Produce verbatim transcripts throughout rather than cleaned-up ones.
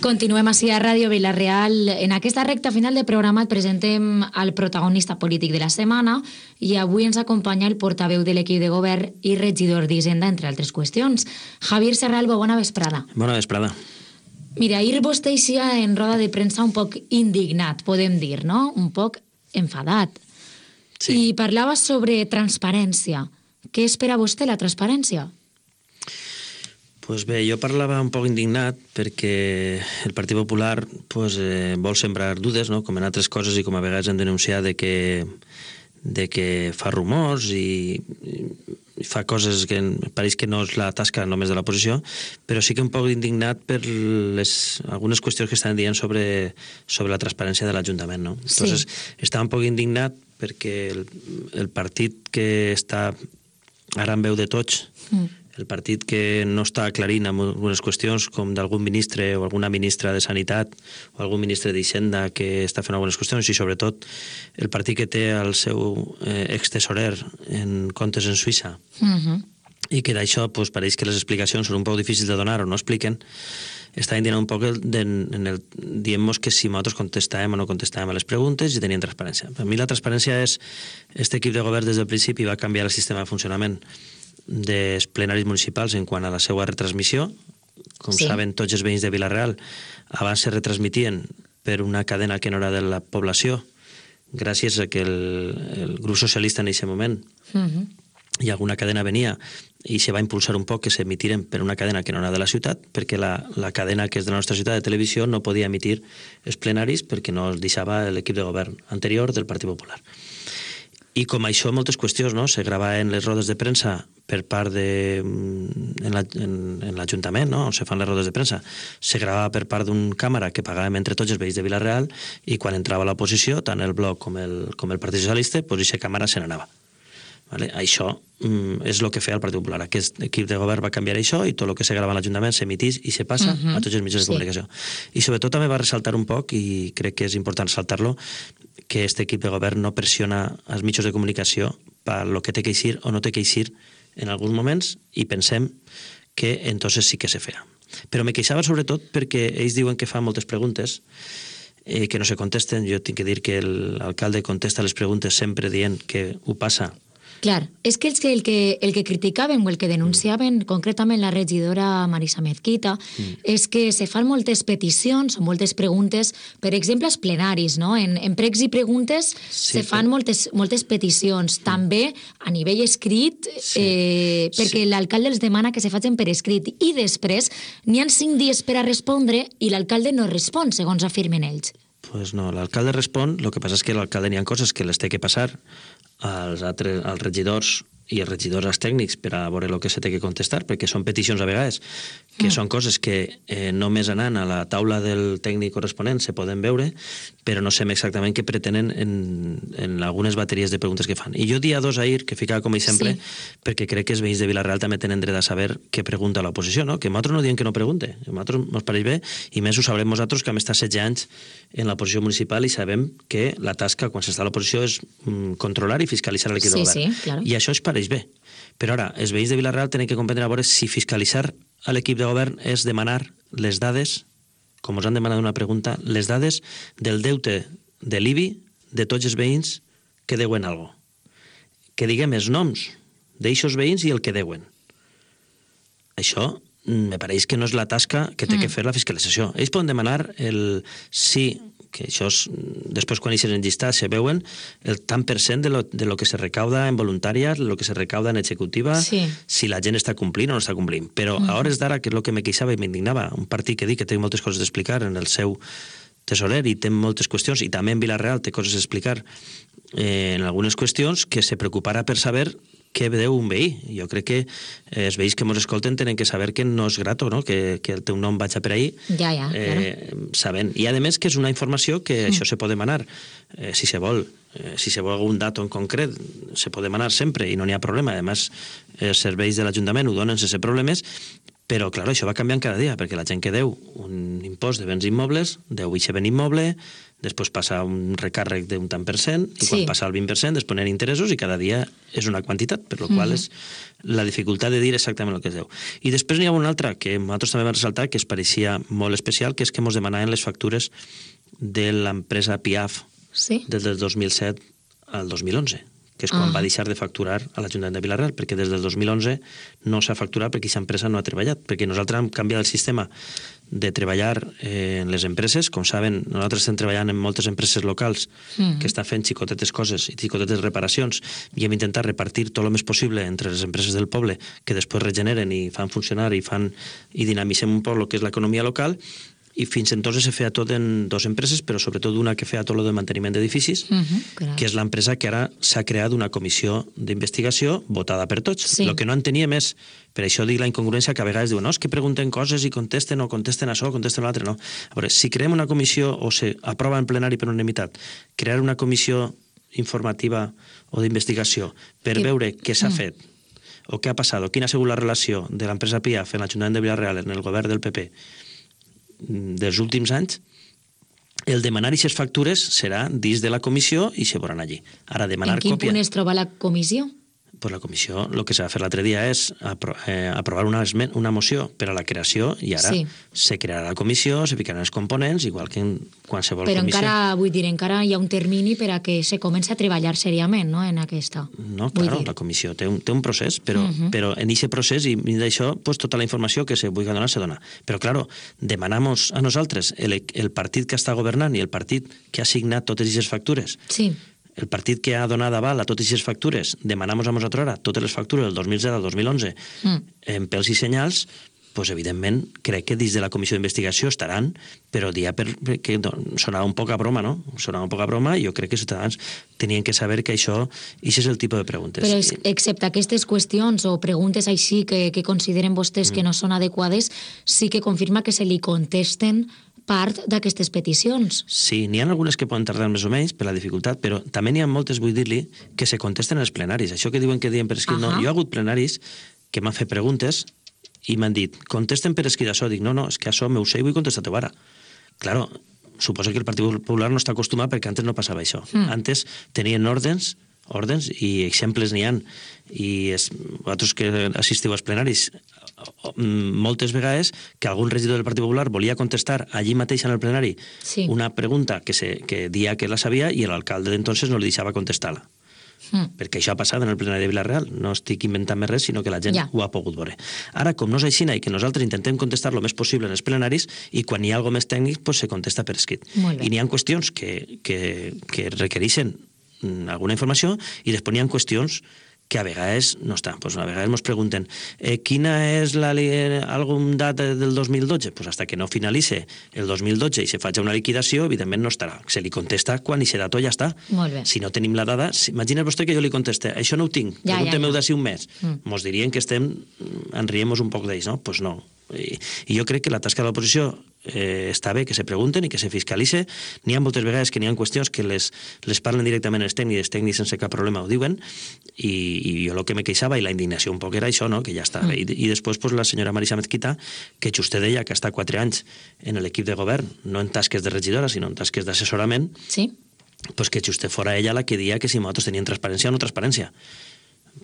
Continuem així a Ràdio Vila-real. En aquesta recta final de programa et presentem el protagonista polític de la setmana i avui ens acompanya el portaveu de l'equip de govern i regidor d'Hisenda, entre altres qüestions. Javier Serralbo, bona vesprada. Bona vesprada. Mira, ahir vostè eixia en roda de premsa un poc indignat, podem dir, no? Un poc enfadat. Sí. I parlava sobre transparència. Què espera vostè, la transparència? Pues bé, jo parlava un poc indignat perquè el Partit Popular pues, eh, vol sembrar dudes, no? Com en altres coses i com a vegades hem denunciat de que, de que fa rumors i, i fa coses que pareix que no és la tasca només de l'oposició, però sí que un poc indignat per les, algunes qüestions que estan dient sobre, sobre la transparència de l'Ajuntament. No? Sí. Entonces, estava un poc indignat perquè el, el partit que està ara en veu de tots, mm. el partit que no està aclarint en algunes qüestions, com d'algun ministre o alguna ministra de Sanitat o algun ministre d'Hisenda que està fent algunes qüestions, i sobretot el partit que té el seu eh, extesorer en comptes en Suïssa, Uh-huh. i que d'això pues, pareix que les explicacions són un poc difícils de donar o no expliquen, està indicant un poc el, de, en el, dient-nos que si nosaltres contestàvem o no contestàvem a les preguntes i tenien transparència. Per mi la transparència és, este equip de govern des del principi va canviar el sistema de funcionament dels plenaris municipals en quant a la seva retransmissió. Com Sí. saben tots els veïns de Vila-real, abans se retransmitien per una cadena que no era de la població, gràcies a que el, el grup socialista en aquest moment Uh-huh. i alguna cadena venia i se va impulsar un poc que s'emitiren per una cadena que no era de la ciutat, perquè la, la cadena que és de la nostra ciutat de televisió no podia emitir els plenaris perquè no els deixava l'equip de govern anterior del Partit Popular. I com això, moltes qüestions, no? Se gravaven les rodes de premsa per part de... en l'Ajuntament, no? On se fan les rodes de premsa. Se gravava per part d'un càmera que pagàvem entre tots els veïns de Vila-real, i quan entrava l'oposició, tant el Bloc com el, com el Partit Socialista, doncs aquesta càmera se n'anava. Vale? Això mm, és el que feia el Partit Popular. Aquest equip de govern va canviar això i tot el que se grava a l'Ajuntament s'emitís i se passa Uh-huh. a tots els mitjans de Sí. comunicació. I sobretot també va ressaltar un poc, i crec que és important ressaltar-lo, que aquest equip de govern no pressiona els mitjans de comunicació per lo que té que eixir o no té que eixir en alguns moments, i pensem que entonces sí que se feia. Però me queixava sobretot perquè ells diuen que fan moltes preguntes eh, que no se contesten. Jo tinc que dir que l'alcalde contesta les preguntes sempre dient que ho passa. Clar, és que el que, el que, el que criticaven o el que denunciaven, mm. concretament la regidora Marisa Mezquita, mm. és que se fan moltes peticions o moltes preguntes, per exemple, als plenaris, no? En, en pregs i preguntes sí, se fan però... moltes, moltes peticions. Mm. També a nivell escrit, sí. eh, perquè sí. l'alcalde els demana que se facin per escrit, i després n'hi ha cinc dies per a respondre i l'alcalde no respon, segons afirmen ells. Pues no, l'alcalde respon, el que passa és que l'alcalde n'hi ha coses que les té que passar als, altres, als regidors i els regidors als tècnics per a veure el que se té que contestar, perquè són peticions a vegades, que mm. són coses que eh, només anant a la taula del tècnic corresponent se poden veure, però no sabem exactament què pretenen en, en algunes bateries de preguntes que fan. I jo dia dos ahir, que ficava com a exemple, sí. perquè crec que els veïns de Vila-real també tenen dret a saber què pregunta l'oposició, no? Que nosaltres no diem que no pregunte, que a nosaltres ens pareix bé, i més ho sabrem nosaltres que hem estat setze anys en l'oposició municipal i sabem que la tasca quan s'està a l'oposició és mm, controlar i fiscalitzar l'equip sí, de govern. Sí, claro. I això es pareix bé. Però ara, els veïns de Vila-real tenen que comprendre a veure si fiscalitzar a l'equip de govern és demanar les dades, com us han demanat una pregunta, les dades del deute de l'I B I de tots els veïns que deuen alguna cosa. Que diguem els noms d'eixos veïns i el que deuen. Això me pareix que no és la tasca que té mm. que fer la fiscalització. Ells poden demanar el sí, que això és, després quan eixen en llistat se veuen el tant per cent de lo, de lo que se recauda en voluntària, lo que se recauda en executiva, sí. si la gent està complint o no està complint. Però mm. a hores d'ara, que és el que me queixava i m'indignava, un partit que dic que té moltes coses d'explicar en el seu tesorer i té moltes qüestions, i també en Vila-real té coses a explicar eh, en algunes qüestions, que se preocupara per saber què deu un veí. Jo crec que eh, els veïns que ens escolten tenen que saber que no és grato, no? que, que el teu nom vaig a per ahí, ja, ja, eh, claro. sabent. I a més que és una informació que mm. això se pot demanar, eh, si se vol, eh, si se vol algun dato en concret, se pot demanar sempre i no n'hi ha problema. A més, els serveis de l'Ajuntament ho donen sense problemes, Però, clar, això va canviant cada dia, perquè la gent que deu un impost de béns immobles, deu eixe ben immoble, després passa un recàrrec d'un tant per cent, i quan Sí. passa el vint per cent després ponen interessos i cada dia és una quantitat, per la qual és la dificultat de dir exactament el que es deu. I després n'hi ha una altra que nosaltres també vam ressaltar, que es pareixia molt especial, que és que ens demanaven les factures de l'empresa Piaf Sí. des del dos mil set al dos mil onze, que és quan Ah. va deixar de facturar a l'Ajuntament de Vila-real, perquè des del dos mil onze no s'ha facturat perquè aquesta empresa no ha treballat, perquè nosaltres hem canviat el sistema de treballar eh, en les empreses. Com saben, nosaltres estem treballant en moltes empreses locals Mhm. que estan fent xicotetes coses i xicotetes reparacions, i hem intentat repartir tot el més possible entre les empreses del poble, que després regeneren i fan funcionar i fan i dinamitzem un poc el que és l'economia local. I fins entonces se feia tot en dues empreses, però sobretot una que feia tot el de manteniment d'edificis, Mhm, clar. que és l'empresa que ara s'ha creat una comissió d'investigació votada per tots. Sí. El que no enteníem és, per això dic la incongruència, que a vegades diuen no, és que pregunten coses i contesten o contesten això o contesten l'altre. No. A veure, si creem una comissió o se aprova en plenari per unanimitat, crear una comissió informativa o d'investigació per Que- veure què s'ha Mm. fet o què ha passat, o quina ha sigut la relació de l'empresa Piaf en l'Ajuntament de Vila-real, en el govern del P P, dels últims anys, el demanar aquestes factures serà dins de la comissió i se veuran allí. Ara, demanar En quin còpia... punt es troba la comissió? Pues la comissió, el que s'ha de fer l'altre dia és apro eh, aprovar una, esmen una moció per a la creació, i ara Sí. se crearà la comissió, se ficaran els components, igual que en qualsevol Però comissió. encara, vull dir, encara hi ha un termini per a que se comenci a treballar seriament, no?, en aquesta. No, Vull claro, dir. la comissió té un, té un procés, però, uh Mhm. -huh. però en aquest procés, i d'això, pues, tota la informació que se vulgui donar se dona. Però, claro, demanamos a nosaltres, el, el partit que està governant i el partit que ha signat totes aquestes factures, Sí. el partit que ha donat aval a totes aquestes factures, demanamos a nosaltres ara totes les factures del dos mil set al dos mil onze Mm. en pèls i senyals, pues, evidentment, crec que dins de la comissió d'investigació estaran, però dia per, que sonava un poc a broma, no? Sonava un poc a broma, i jo crec que els ciutadans tenien que saber que això, això és el tipus de preguntes. Però es, excepte aquestes qüestions o preguntes així que, que consideren vostès que no són adequades, sí que confirma que se li contesten part d'aquestes peticions. Sí, n'hi ha algunes que poden tardar més o menys per la dificultat, però també n'hi ha moltes, vull dir-li, que se contesten als plenaris. Això que diuen que diuen per escrit, no. Ahà. Jo he hagut plenaris que m'han fet preguntes i m'han dit, contesten per escrit això. Dic, no, no, és que això m'ho sé i vull contestar-te ara. Claro, suposo que el Partit Popular no està acostumat, perquè antes no passava això. Mm. Antes tenien ordens, ordens i exemples n'hi han. I es, vosaltres que assistiu als plenaris, moltes vegades que algun regidor del Partit Popular volia contestar allí mateix en el plenari Sí. una pregunta que, se, que dia que la sabia, i l'alcalde d'entonces no li deixava contestar-la. Mm. Perquè això ha passat en el plenari de Vila-real. No estic inventant més res, sinó que la gent Ja. ho ha pogut veure. Ara, com no és així, i que nosaltres intentem contestar el més possible en els plenaris, i quan hi ha alguna més tècnic, pues se contesta per escrit. Molt bé. I n'hi ha qüestions que, que, que requereixen mm, alguna informació, i després n'hi ha qüestions que a vegades no estan. Pues a vegades ens pregunten eh, quina és la, algun data del dos mil dotze? Pues hasta que no finalitze el dos mil dotze i se faci una liquidació, evidentment no estarà. Se li contesta quan aquest dato ja està. Molt bé. Si no tenim la dada, si, imagina vostè que jo li conteste, això no ho tinc, Ja, preguntem-ho ja, ja. d'ací un mes. Mm. Mos dirien que estem, en riem un poc d'ells, no? Doncs pues no. I, I jo crec que la tasca de l'oposició eh, està bé que se pregunten i que se fiscalitze. N'hi ha moltes vegades que n'hi ha qüestions que les, les parlen directament els tècnics, els tècnics sense cap problema ho diuen, i, i jo el que me queixava i la indignació un poc era això, no? Que ja està bé. Mm. I, I després pues, la senyora Marisa Mezquita, que vostè deia que està quatre anys en l'equip de govern, no en tasques de regidora, sinó en tasques d'assessorament, Sí? pues que vostè fora ella la que dia que si nosaltres tenien transparència o no transparència.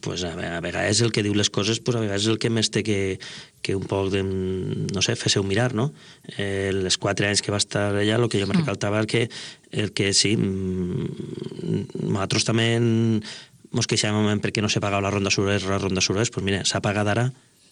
Pues a, a vegades el que diu les coses, pues a vegades és el que més té que, que un poc de, no sé, fes-ho mirar, no? Eh, els quatre anys que va estar allà, el que jo me recaltava el que, el que sí, mm, nosaltres també ens queixàvem perquè no se pagava la ronda Surés, la ronda Surés, pues mira, s'ha pagat ara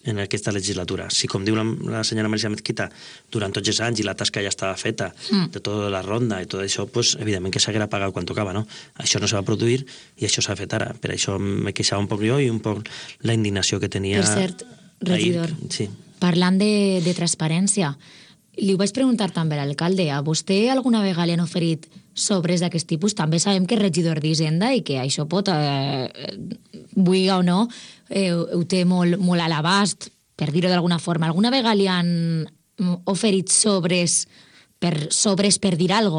en aquesta legislatura. Si, com diu la, la senyora Marisa Mezquita, durant tots els anys i la tasca ja estava feta, Mm. de tota la ronda i tot això, pues, evidentment que s'haguera pagat quan tocava, no? Això no se va produir i això s'ha fet ara. Per això me queixava un poc jo i un poc la indignació que tenia... Per cert, regidor, ahir. Sí. parlant de, de transparència, li ho vaig preguntar també a l'alcalde. A vostè alguna vegada li han oferit sobres d'aquest tipus? També sabem que és regidor d'Hisenda i que això pot, eh, vulgui o no, eh, ho té molt, molt a l'abast, per dir-ho d'alguna forma. Alguna vegada li han oferit sobres per, sobres per dir alguna cosa?